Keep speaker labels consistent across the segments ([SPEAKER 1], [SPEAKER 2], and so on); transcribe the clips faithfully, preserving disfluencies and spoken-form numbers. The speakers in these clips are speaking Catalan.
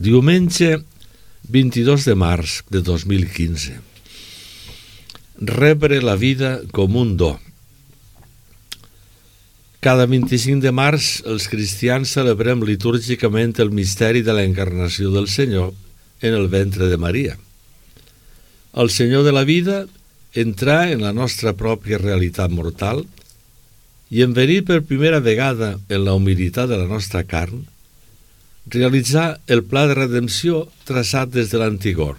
[SPEAKER 1] Diumenge vint-i-dos de març de dos mil quinze. Rebre la vida com un do. Cada vint-i-cinc de març els cristians celebrem litúrgicament el misteri de l'encarnació del Senyor en el ventre de Maria. El Senyor de la vida entrà en la nostra pròpia realitat mortal i en venir per primera vegada en la humilitat de la nostra carn, realitzar el pla de redempció traçat des de l'antigor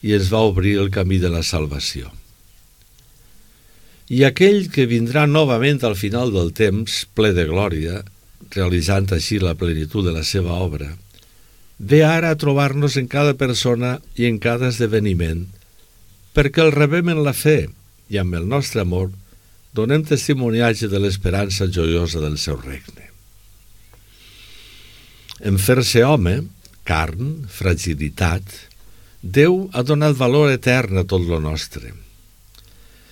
[SPEAKER 1] i ens va obrir el camí de la salvació. I aquell que vindrà novament al final del temps, ple de glòria, realitzant així la plenitud de la seva obra, ve ara a trobar-nos en cada persona i en cada esdeveniment, perquè el rebem en la fe i amb el nostre amor donem testimoniatge de l'esperança joiosa del seu regne. En fer-se home, carn, fragilitat, Déu ha donat valor etern a tot lo nostre.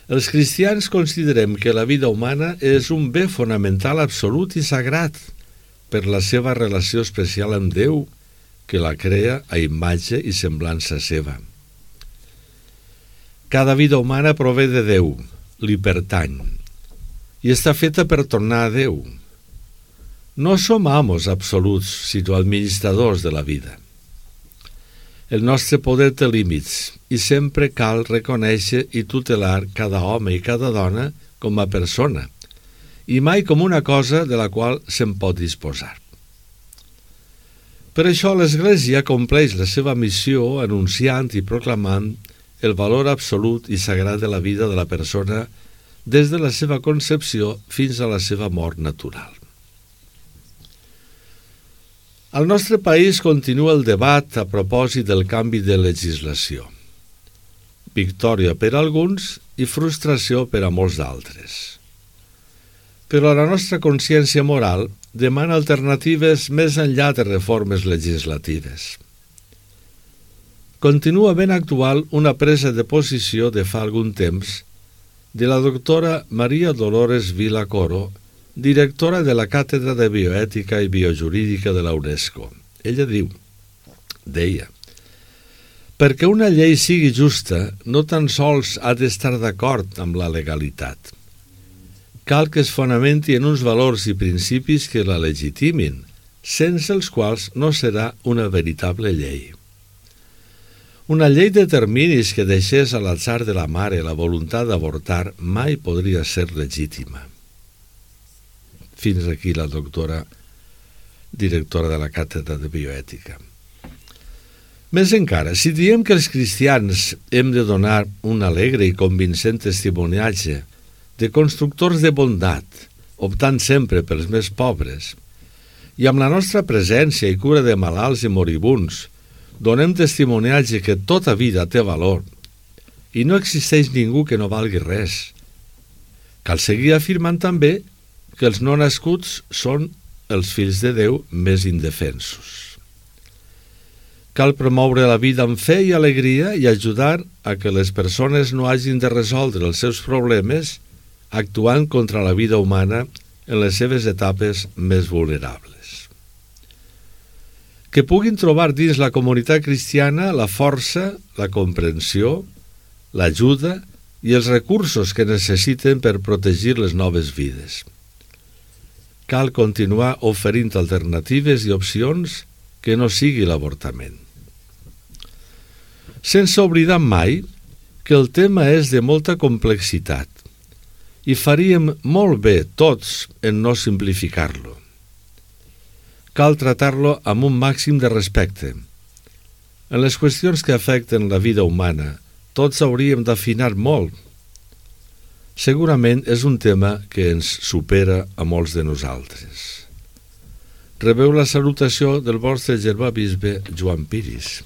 [SPEAKER 1] Els cristians considerem que la vida humana és un bé fonamental absolut i sagrat per la seva relació especial amb Déu, que la crea a imatge i semblança seva. Cada vida humana prové de Déu, li pertany, i està feta per tornar a Déu. No som amos absoluts, sinó administradors de la vida. El nostre poder té límits i sempre cal reconèixer i tutelar cada home i cada dona com a persona i mai com una cosa de la qual se'n pot disposar. Per això l'Església compleix la seva missió anunciant i proclamant el valor absolut i sagrat de la vida de la persona des de la seva concepció fins a la seva mort natural. Al nostre país continua el debat a propòsit del canvi de legislació. Victòria per a alguns i frustració per a molts d'altres. Però la nostra consciència moral demana alternatives més enllà de reformes legislatives. Continua ben actual una presa de posició de fa algun temps de la doctora Maria Dolores Vila Coro, directora de la Càtedra de Bioètica i Biojurídica de la UNESCO. Ella diu, deia, perquè una llei sigui justa no tan sols ha d'estar d'acord amb la legalitat. Cal que es fonamenti en uns valors i principis que la legitimin, sense els quals no serà una veritable llei. Una llei de terminis que deixés a l'atzar de la mare la voluntat d'avortar mai podria ser legítima. Fins aquí la doctora directora de la Càtedra de Bioètica. Més encara, si diem que els cristians hem de donar un alegre i convincent testimoniatge de constructors de bondat, optant sempre pels més pobres, i amb la nostra presència i cura de malalts i moribuns, donem testimoniatge que tota vida té valor i no existeix ningú que no valgui res. Cal seguir afirmant també que els no nascuts són els fills de Déu més indefensos. Cal promoure la vida amb fe i alegria i ajudar a que les persones no hagin de resoldre els seus problemes actuant contra la vida humana en les seves etapes més vulnerables. Que puguin trobar dins la comunitat cristiana la força, la comprensió, l'ajuda i els recursos que necessiten per protegir les noves vides. Cal continuar oferint alternatives i opcions que no sigui l'avortament. Sense oblidar mai que el tema és de molta complexitat i faríem molt bé tots en no simplificar-lo. Cal tratar-lo amb un màxim de respecte. En les qüestions que afecten la vida humana, tots hauríem d'afinar molt. Segurament és un tema que ens supera a molts de nosaltres. Rebeu la salutació del vostre germà bisbe Joan Piris.